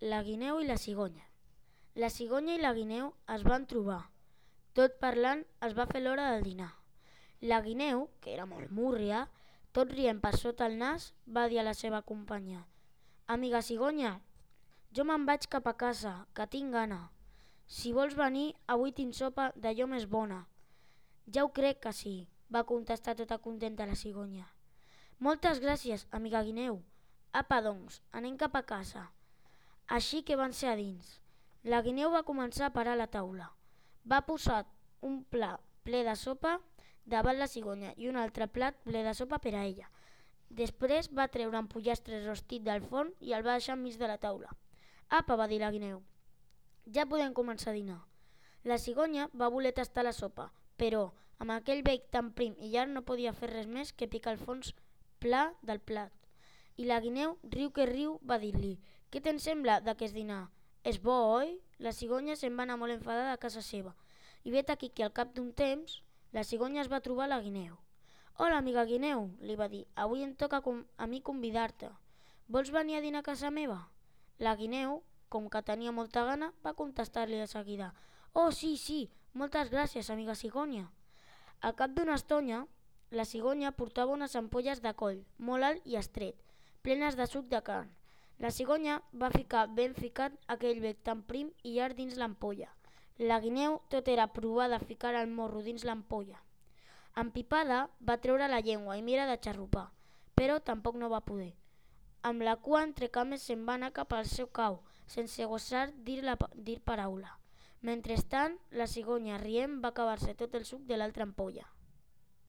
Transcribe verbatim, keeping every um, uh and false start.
La guineu i la cigonya. La cigonya i la guineu es van trobar. Tot parlant es va fer l'hora del dinar. La guineu, que era molt múrria, tot rient per sota el nas, va dir a la seva companya: «Amiga cigonya, jo me'n vaig cap a casa, que tinc gana. Si vols venir, avui tinc sopa d'allò més bona». «Ja ho crec que sí», va contestar tota contenta la cigonya. «Moltes gràcies, amiga guineu. Apa, doncs, anem cap a casa». Així que van ser a dins. La guineu va començar a parar la taula. Va posar un plat ple de sopa davant la cigonya i un altre plat ple de sopa per a ella. Després va treure un pollastre rostit del forn i el va deixar enmig de la taula. «Apa», va dir la guineu, «ja podem començar a dinar». La cigonya va voler tastar la sopa, però amb aquell bec tan prim i llarg no podia fer res més que picar el fons pla del plat. I la guineu, riu que riu, va dir-li: «Què te'n sembla d'aquest dinar? És bo, oi?» La cigonya se'n va anar molt enfadada a casa seva i vet aquí que al cap d'un temps la cigonya es va trobar la guineu. «Hola, amiga guineu», li va dir, «avui em toca a mi convidar-te. Vols venir a dinar a casa meva?» La guineu, com que tenia molta gana, va contestar-li de seguida: «Oh, sí, sí, moltes gràcies, amiga cigonya». Al cap d'una estona, la cigonya portava unes ampolles de coll, molt alt i estret, plenes de suc de carn. La cigonya va ficar ben ficat aquell bec tan prim i llarg dins l'ampolla. La guineu tot era provar de ficar el morro dins l'ampolla. Empipada, va treure la llengua i mira de xarrupar, però tampoc no va poder. Amb la cua entre cames se'n va anar cap al seu cau, sense gosar dir, la, dir paraula. Mentrestant, la cigonya, rient, va acabar-se tot el suc de l'altra ampolla.